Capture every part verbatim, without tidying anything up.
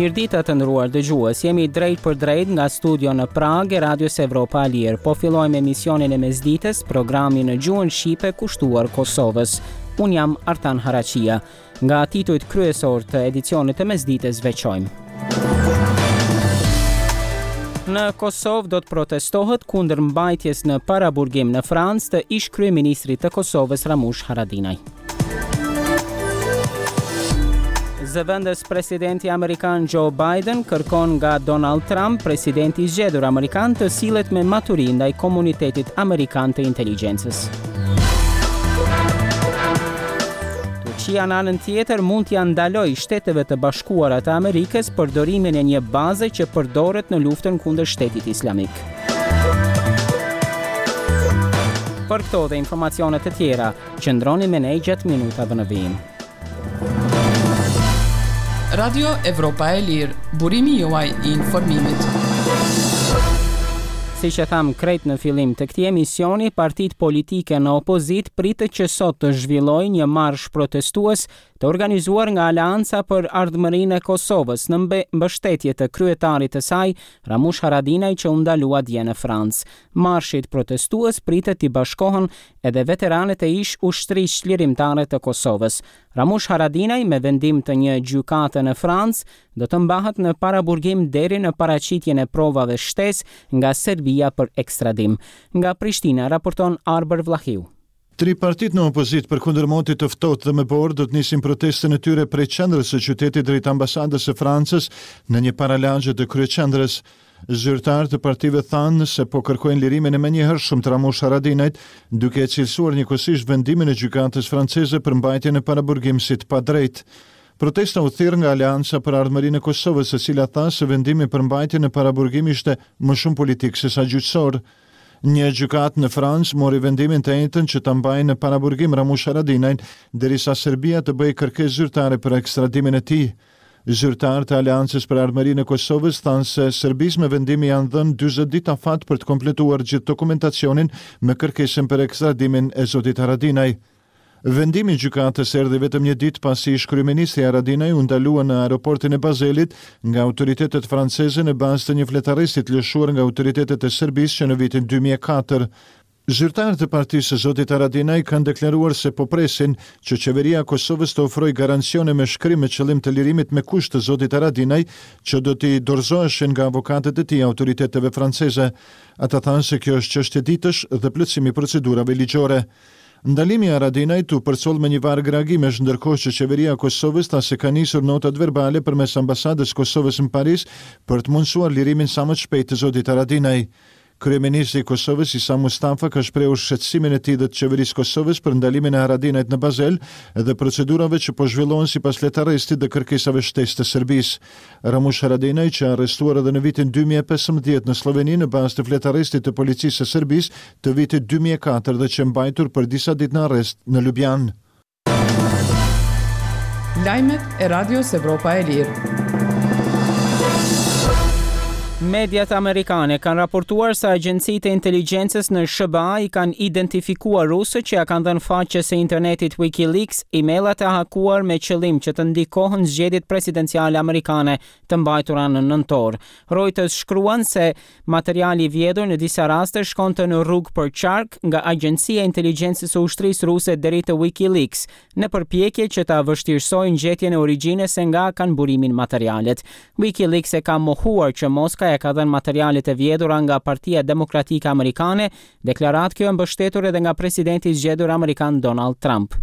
Mirëdita, të nderuar dëgjues, jemi drejt për drejt nga studio në Pragë e Radios Evropa e Lirë. Po fillojmë emisionin e mesditës, programin në gjuhën shqipe kushtuar Kosovës. Unë jam Artan Haraqia. Nga titujt kryesor të edicionit të mesditës veçojmë. Në Kosovë do të protestohet kundër mbajtjes në paraburgim në Francë të ish kryeministrit të Kosovës Ramush Haradinaj. Zëvendës presidenti amerikan Joe Biden kërkon nga Donald Trump, presidenti i zgjedhur amerikan, të sillet me maturi ndaj komunitetit amerikan të inteligjencës. Turqia, në anën tjetër, mund t'ia ndalojë Shteteve të Bashkuara të Amerikës përdorimin e një baze që përdoret në luftën kundër Shtetit Islamik. Për këto dhe informacione të tjera, qëndroni me ne gjatë minutave në vijim. Radio Evropa e Lirë, burimi juaj i informimit. Si që tham krejt në fillim të këtij emisioni, partitë politike në opozitë pritet që sot të zhvillojnë një marsh protestues të organizuar nga Aleanca për Ardhmërinë e Kosovës në mbështetje të kryetarit të saj, Ramush Haradinaj, që u ndalua dje në Francë. Marshit protestues pritet t'i bashkohen edhe veteranët e ish ushtrisë çlirimtare të Kosovës. Ramush Haradinaj, me vendim të një gjykate në Francë, do të mbahet në paraburgim deri në paraqitjen e provave shtesë nga Serbia për ekstradim. Nga Prishtina raporton Arbër Vllahiu. Tri partitë në opozitë përkundër motit të ftohtë dhe me borë do të nisin protestën e tyre prej qendrës së qytetit drejt ambasadës së Francës në një paralagje të kryeqendrës. Zyrtarë të partive thanë se po kërkojnë lirimin e menjëhershëm të Ramush Haradinajt, duke e cilësuar njëkohësisht vendimin e gjykatës franceze për mbajtjen e paraburgim si të padrejtë. Protesta u thirr nga Aleanca për Ardhmërinë e Kosovës, e cila tha se vendimi për mbajtjen e paraburgim ishte më shumë politik sesa gjyqësor. Një gjykatë në Francë mori vendimin të enjten që ta mbajë në paraburgim Ramush Haradinajn, derisa Serbia të bëjë kërkesë zyrtare për ekstradimin e tij. Zyrtarë të Aleancës për Ardhmërinë e Kosovës thanë se Serbisë me vendim i janë dhënë dyzet ditë afat për të kompletuar gjithë dokumentacionin me kërkesën për ekstradimin e zotit Haradinaj. Vendimi i gjykatës erdhi vetëm një ditë pasi ish kryeministri Haradinaj u ndalua në aeroportin e Bazelit nga autoritetet franceze në bazë të një fletarresti të lëshuar nga autoritetet e Serbisë që në vitin dy mijë e katër. Zyrtarë të partisë së zotit Haradinaj kanë deklaruar se po presin që qeveria e Kosovës të ofrojë garancione me shkrim me qëllim të lirimit me kusht të zotit Haradinaj, që do t'i dorëzoheshin nga avokatët e tij autoriteteve franceze. Ata thanë se kjo është çështje ditësh dhe plotësimi i procedurave ligjore. Ndalimi i Haradinajt u përcoll me një varg reagimesh, ndërkohë që qeveria e Kosovës tha se ka nisur notat verbale përmes ambasadës së Kosovës në Paris për të mundësuar lirimin sa më të shpejtë të zotit Haradinaj. Kryeministri i Kosovës, Isa Mustafa, ka shprehur shqetësimin e tij dhe të qeverisë së Kosovës për ndalimin e Haradinajt në Bazel dhe procedurave që po zhvillohen sipas fletarrestit dhe kërkesave shtesë të Serbisë. Ramush Haradinaj, që arrestuar edhe në vitin dy mijë e pesëmbëdhjetë në Slloveni në bazë të fletarrestit të policisë së Serbisë të vitit dy mijë e katër dhe që mbajtur për disa ditë në arrest në Ljubljanë. Lajmet e Radios Evropa e Lirë. Mediat amerikane kanë raportuar se agjencitë e inteligjencës në S H B A i kanë identifikuar rusët që ja kanë dhënë faqes së internetit WikiLeaks emailat e hakuar me qëllim që të ndikohen zgjedhjet presidenciale amerikane të mbajtura në nëntor. Reuters shkruan se materiali i vjedhur në disa raste shkonte në rrugë për qark nga Agjencia e Inteligjencës së Ushtrisë Ruse deri te WikiLeaks, në përpjekje që ta vështirësojnë gjetjen e origjinës se nga kanë burimin materialet. WikiLeaks e ka mohuar që Moska e ka dhënë materialet e vjedhura nga Partia Demokratike Amerikane, deklaratë kjo e mbështetur edhe nga presidenti i zgjedhur amerikan Donald Trump.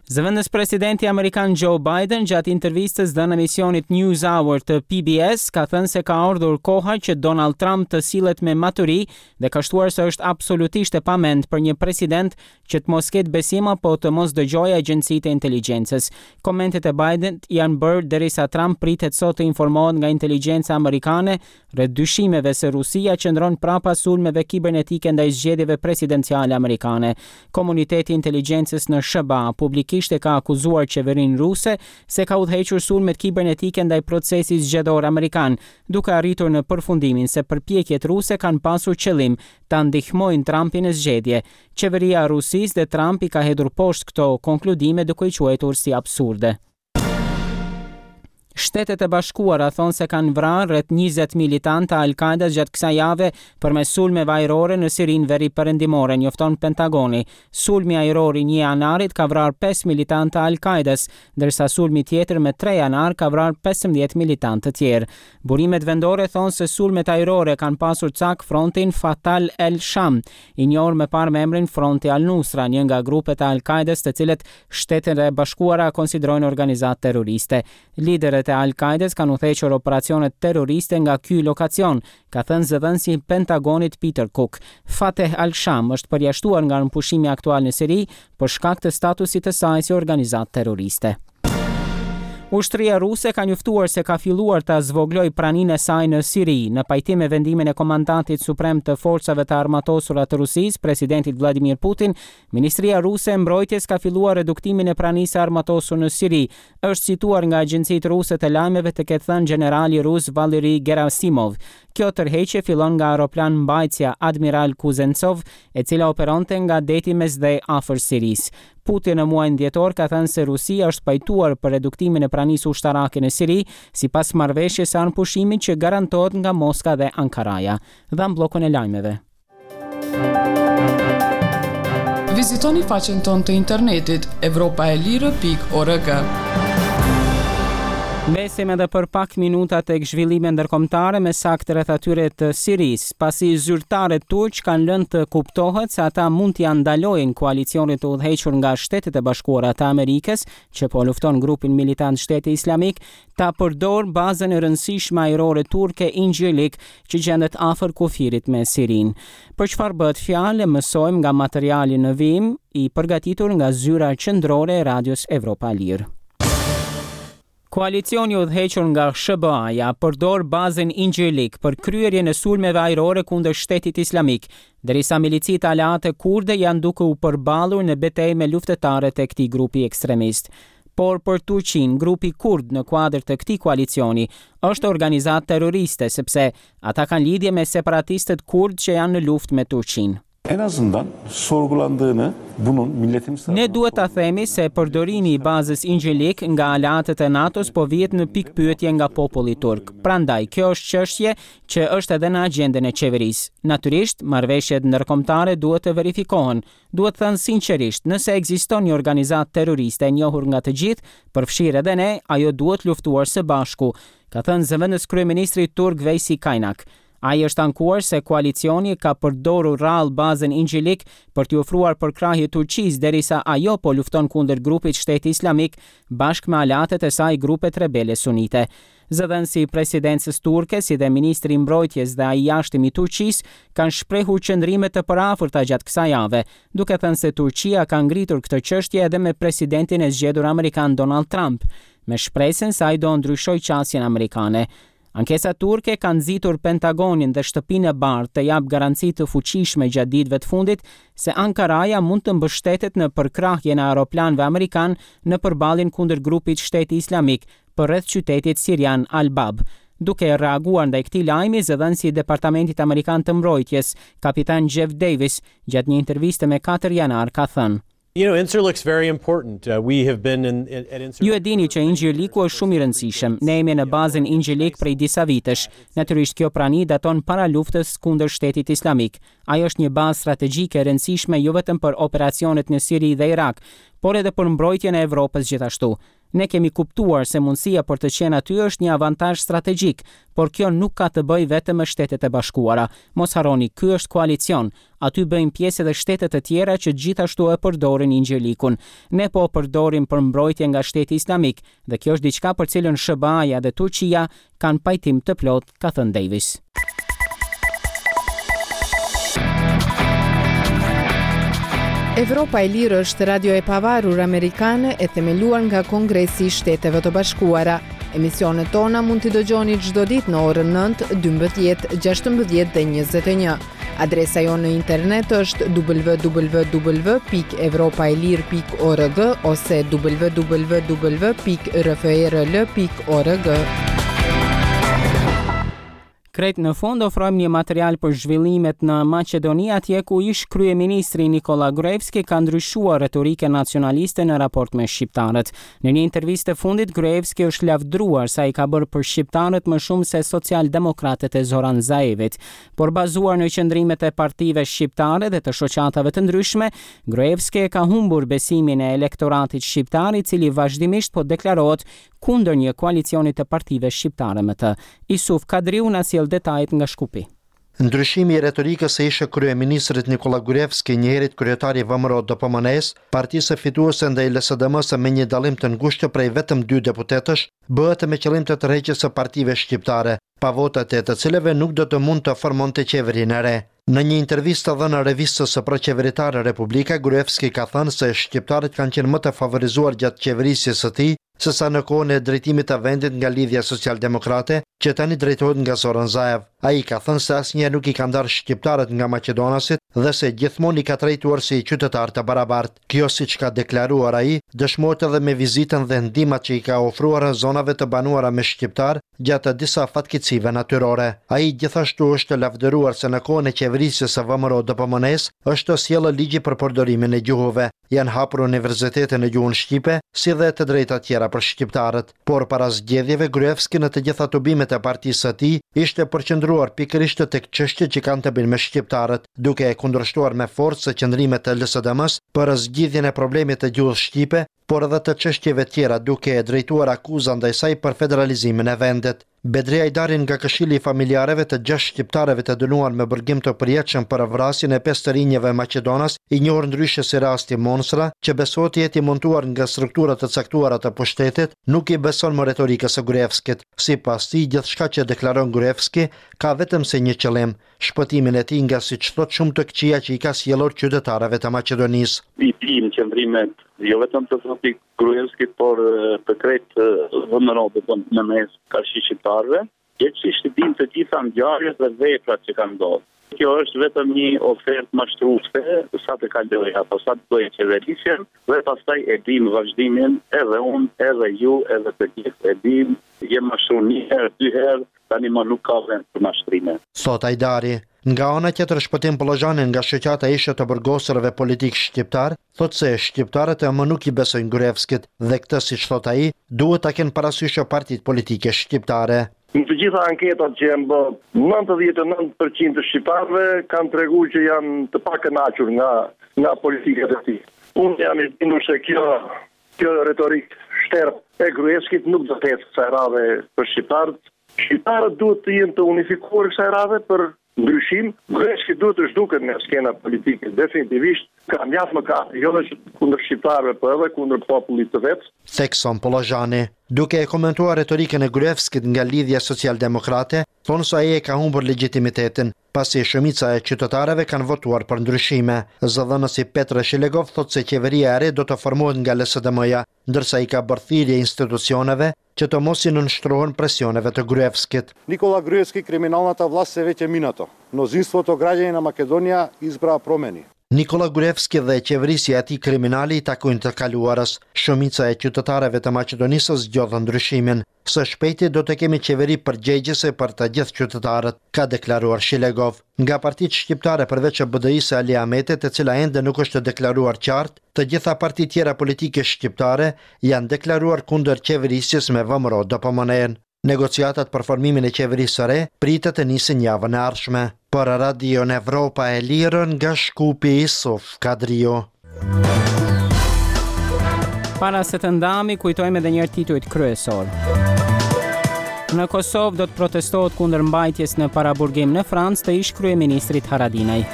Zëvendës presidenti amerikan Joe Biden gjatë intervistës dhënë emisionit News Hour të P B S ka thënë se ka ardhur koha që Donald Trump të sillet me maturi dhe ka shtuar se është absolutisht e pamend për një president që të mos ketë besim apo të mos dëgjojë agjencitë e inteligjencës. Komentet e Biden janë bërë derisa Trump pritet sot të informohet nga inteligjenca amerikane rreth dyshimeve se Rusia qëndron prapa sulmeve kibernetike ndaj zgjedhjeve presidenciale amerikane. Komuniteti i inteligjencës në S H B A publikisht e ka akuzuar qeverinë ruse se ka udhëhequr sulmet kibernetike ndaj procesit zgjedhor amerikan, duke arritur në përfundimin se përpjekjet ruse kanë pasur qëllim ta ndihmojnë Trumpin në zgjedhje. Qeveria e Rusisë dhe Trump i ka hedhur poshtë këto konkludime duke i quajtur si absurde. Shtetet e Bashkuara thonë se kanë vrarë rreth njëzet militantë të Al-Qaeda gjatë kësaj jave përmes sulmeve ajrore në Sirinë veri perëndimore, njofton Pentagoni. Sulmi ajror i një janarit ka vrarë pesë militantë të Al-Qaedas, ndërsa sulmi tjetër me tre janar ka vrarë pesëmbëdhjetë militantë të tjerë. Burimet vendore thonë se sulmet ajrore kanë pasur cak frontin Fatah el-Sham, i njohur më parë me emrin Fronti Al-Nusra, një nga grupet e Al-Qaedas të cilët Shtetet e Bashkuara konsiderojnë organizatë terroriste. Liderët e Al-Qaedas kanë udhëhequr operacionet terroriste nga ky lokacion, ka thënë zëdhënësi i Pentagonit Peter Cook. Fateh al-Sham është përjashtuar nga armëpushimi aktual në Siri për shkak të statusit të saj si organizatë terroriste. Ushtria ruse ka njoftuar se ka filluar ta zvoglojë praninë e saj në Siri, në pajtim me vendimin e komandantit suprem të forcave të armatosura të Rusisë, presidentit Vladimir Putin. Ministria ruse e Mbrojtjes ka filluar reduktimin e pranisë së armatosur në Siri. Është cituar nga agjencitë ruse të lajmeve të ketë thënë gjenerali rus Valery Gerasimov. Kjo tërheqje fillon nga aeroplan mbajtësja Admiral Kuznetsov, e cila operonte nga deti Mesdhe afër Sirisë. Putin në muajin dhjetor ka thënë se Rusia është pajtuar për reduktimin e pranisë ushtarake në Siri, sipas marrëveshjes së armëpushimit që garantohet nga Moska dhe Ankaraja. Dham bllokun e lajmeve. Vizitoni faqen tonë të internetit evropaelire pikë org. Mbesim edhe për pak minuta tek zhvillime ndërkombëtare, me saktë rreth atyre të Sirisë, pasi zyrtarët turq kanë lënë të kuptohet se ata mund t'ia ndalojnë koalicionit të udhëhequr nga Shtetet e Bashkuara të Amerikës, që po lufton grupin militant Shteti Islamik, ta përdor bazën e rëndësishme ajrore turke Incirlik, që gjendet afër kufirit me Sirinë. Për çfarë bëhet fjalë, mësojmë nga materiali në vijim, i përgatitur nga zyra qendrore e Radios Evropa e Lirë. Koalicioni udhëhequr nga S H B A-ja përdor bazën Incirlik për kryerjen e sulmeve ajrore kundër Shtetit Islamik, derisa milicitë aleate kurde janë duke u përballur në betejë me luftëtarët e këtij grupi ekstremist. Por për Turqinë, grupi kurd në kuadër të këtij koalicioni është organizatë terroriste, sepse ata kanë lidhje me separatistët kurd që janë në luftë me Turqinë. En azından sorgulandığını bunun milletimiz Ne duhet ta themi se përdorimi i bazës Incirlik nga aleatët e NATO-s po vihet në pikëpyetje nga populli turk. Prandaj, kjo është çështje që është edhe në agjendën e qeverisë. Natyrisht, marrëveshjet ndërkombëtare duhet të verifikohen. Duhet thënë sinqerisht, nëse ekziston një organizatë terroriste e njohur nga të gjithë, përfshirë edhe ne, ajo duhet luftuar së bashku, ka thënë zëvendës kryeministri turk Veysi Kaynak. Ai është ankuar se koalicioni ka përdorur rrallë bazën Incirlik për t'i ofruar përkrahje Turqisë derisa ajo po lufton kundër grupit Shteti Islamik bashkë me aleatët e saj grupet rebele sunite. Zëdhënësi i presidencës turke si dhe ministri i mbrojtjes dhe ai i jashtëm i Turqisë kanë shprehur qëndrime të përafërta gjatë kësaj jave, duke thënë se Turqia ka ngritur këtë çështje edhe me presidentin e zgjedhur amerikan Donald Trump, me shpresën se ai do ndryshojë qasjen amerikane. Ankesa turke ka nxitur Pentagonin dhe Shtëpinë e Bardhë të japë garanci të fuqishme gjatë ditëve të fundit se Ankaraja mund të mbështetet në përkrahjen e aeroplanëve amerikan në përballjen kundër grupit Shteti Islamik përreth qytetit sirian Al-Bab. Duke reaguar ndaj këtij lajmi, zëdhënësi i Departamentit Amerikan të Mbrojtjes, kapitan Jeff Davis, gjatë një interviste me katër janar ka thënë: You know, Incirlik's very important. Uh, we have been in, in, at Incirlik. Ju e dini që Incirliku është shumë i rëndësishëm. Ne jemi në bazën Incirlik prej disa vitesh. Natyrisht kjo prani daton para luftës kundër Shtetit Islamik. Ajo është një bazë strategjike e rëndësishme jo vetëm për operacionet në Siri dhe Irak, por edhe për mbrojtjen e Evropës gjithashtu. Ne kemi kuptuar se mundësia për të qenë aty është një avantazh strategjik, por kjo nuk ka të bëjë vetëm me Shtetet e Bashkuara. Mos harroni, ky është koalicion. Aty bëjnë pjesë edhe shtete të tjera që gjithashtu e përdorin Incirlikun. Ne po e përdorim për mbrojtje nga Shteti Islamik dhe kjo është diçka për cilën S H B A-ja dhe Turqia kanë pajtim të plot, ka thënë Davis. Evropa e Lirë është radio e pavarur amerikane e themeluar nga Kongresi i Shteteve të Bashkuara. Emisionet tona mund t'i dëgjoni çdo ditë në orën nëntë, dymbëdhjetë, gjashtëmbëdhjetë dhe njëzet e një. Adresa jonë në internet është w w w pikë evropa e lirë pikë org ose w w w pikë r f r l pikë org. Krejt në fund ofrojmë një material për zhvillimet në Maqedoni, atje ku ish kryeministri Nikola Gruevski ka ndryshuar retorikën nacionaliste në raport me shqiptarët. Në një intervistë të fundit, Gruevski është lavdruar se ai ka bërë për shqiptarët më shumë se socialdemokratët e Zoran Zaevit. Por bazuar në qëndrimet e partive shqiptare dhe të shoqatave të ndryshme, Gruevski e ka humbur besimin e elektoratit shqiptar, i cili vazhdimisht po deklarohet kundër një koalicioni të partive shqiptare me të. Isuf Kadriu na sjell detajet nga Shkupi. Ndryshimi i retorikës së ish kryeministrit Nikola Gruevski, njëherit kryetar i V M R O D P M N-s, partisë fituese ndaj L S D M-së me një dallim të ngushtë prej vetëm dy deputetësh, bëhet me qëllim të tërheqjes së partive shqiptare, pa votat e të cilëve nuk do të mund të formonte qeverinë e re. Në një intervistë të dhënë revistës së proqeveritare Republika, Gruevski ka thënë se shqiptarët kanë qenë më të favorizuar gjatë qeverisjes së tij se sa në kohën e drejtimit të vendit nga Lidhja Socialdemokrate, që tani drejtohet nga Zoran Zaev. Ai ka thënë se asnjëherë nuk i ka ndarë shqiptarët nga maqedonasit dhe se gjithmonë i ka trajtuar si qytetar të barabartë. Kjo, siç ka deklaruar ai, dëshmohet edhe me vizitën dhe ndihmat që i ka ofruar në zonave të banuara me shqiptar gjatë disa fatkeqësive natyrore. Ai gjithashtu është lavdëruar se në kohën e qeverisjes së V M R O D P M N-s është sjellë ligji për përdorimin e gjuhëve, janë hapur universitete në gjuhën shqipe, si dhe të drejta tjera për shqiptarët. Por para zgjedhjeve, Gruevski në të gjitha tubimet e partisë së tij ishte përqendruar pikërisht tek çështjet që kanë të bëjnë me shqiptarët, duke e kundërshtuar me forcë qëndrimet e L S D M-s për zgjidhjen e problemit të gjuhës shqipe, por edhe të çështjeve tjera, duke e drejtuar akuza ndaj saj për federalizimin e vendit. Bedri Ajdari nga Këshilli i Familjareve të gjashtë shqiptarëve të dënuar me burgim të përjetshëm për vrasjen e pesë të rinjve maqedonas, i njohur ndryshe si rasti Monstra, që besohet të jetë i montuar nga struktura të caktuara të pushtetit, nuk i beson më retorikës së Gruevskit. Sipas tij, gjithçka që deklaron Gruevski ka vetëm se një qëllim, shpëtimin e tij nga, siç thot, shumë të këqija që i ka sjellur qytetarëve të Maqedonisë. I dim qëndrimet jo vetëm të zotit Gruevski, por të krejt V M R O D P M N-së karshi shqiptarëve, gjegjësisht i dim të gjitha ngjarjet dhe veprat që kanë ndodhur. Kjo është vetëm një ofertë mashtruese sa të kalojë apo sa të bëjë qeverisjen dhe pastaj e dim vazhdimin, edhe unë, edhe ju, edhe të gjithë e dim, je mashtru një herë, dy herë, tani më nuk ka vend për mashtrime. Thot Ajdari. Nga ana tjetër, Shpëtim Pollozhani nga shoqata ish të burgosurve politik shqiptar, thot se shqiptarët e më nuk i besojnë Gruevskit dhe këtë, siç thot ai, duhet ta kenë parasysh partitë politike shqiptare. Në të gjitha anketat që janë bë, nëntëdhjetë e nëntë për qind të shqiptarëve kanë treguar që janë të pakënaqur nga nga politikat e tij. Unë jam i bindur se kjo kjo retorik shterp e Gruevskit nuk do të ecë kësaj radhe për shqiptarët. Shqiptarët duhet të jenë të unifikuar kësaj radhe për ndryshim. Gruevski duhet të zhduket nga skena politike definitivisht. Ka mjaft mëkate, jo vetëm kundër shqiptarëve, por edhe kundër popullit të vet. Thekson Pollozhani. Duke e komentuar retorikën e Gruevskit nga Lidhja Socialdemokrate, thonë se ai e ka humbur legitimitetin, pasi shumica e qytetarëve kanë votuar për ndryshime. Zëdhënësi Petre Shilegov thotë se qeveria e re do të formohet nga L S D M-ja, ndërsa i ka bërë thirrje institucioneve që të mos i nënshtrohen presioneve të Gruevskit. Nikola Gruevski, криминалната власт се веќе минато. Мнозинството граѓани на Македонија избраа промени. Nikola Gruevski dhe qeverisja e tij kriminale i takojnë të kaluarës. Shumica e qytetarëve të Maqedonisë zgjodhën ndryshimin. Së shpejti do të kemi qeveri përgjegjëse për të gjithë qytetarët, ka deklaruar Shilegov. Nga partitë shqiptare, përveç B D I-së Ali Ahmetit, e cila ende nuk është deklaruar qartë, të gjitha partitë tjera politike shqiptare janë deklaruar kundër qeverisjes me V M R O D P M N. Negociatat për formimin e qeverisë së re pritet të nisin javën e ardhshme. Për Radion Evropa e Lirë nga Shkupi, Isuf Kadriu. Para se të ndahemi, kujtojmë edhe njëherë titujt kryesor. Në Kosovë do të protestohet kundër mbajtjes në paraburgim në Francë të ish kryeministrit Haradinaj.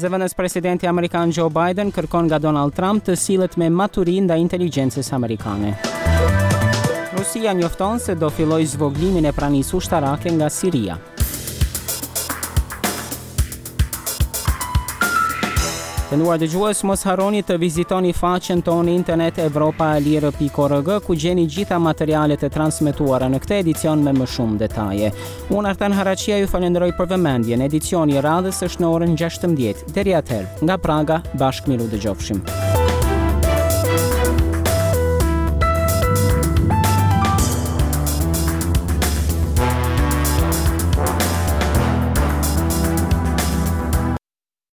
Zëvendës presidenti amerikan Joe Biden kërkon nga Donald Trump të sillet me maturi ndaj inteligjencës amerikane. Rusia njofton se do filloj zvoglimin e pranisë ushtarake nga Siria. Të nderuar dëgjues, mos harroni të vizitoni faqen tonë internet evropaelire pikë org, ku gjeni gjitha materialet e transmetuara në këtë edicion me më shumë detaje. Unë, Artan Haraqia, ju falenderoj për vëmendjen. Edicioni i radhës është në orën gjashtëmbëdhjetë. Deri atëherë, nga Praga, bashkë miru dëgjofshim.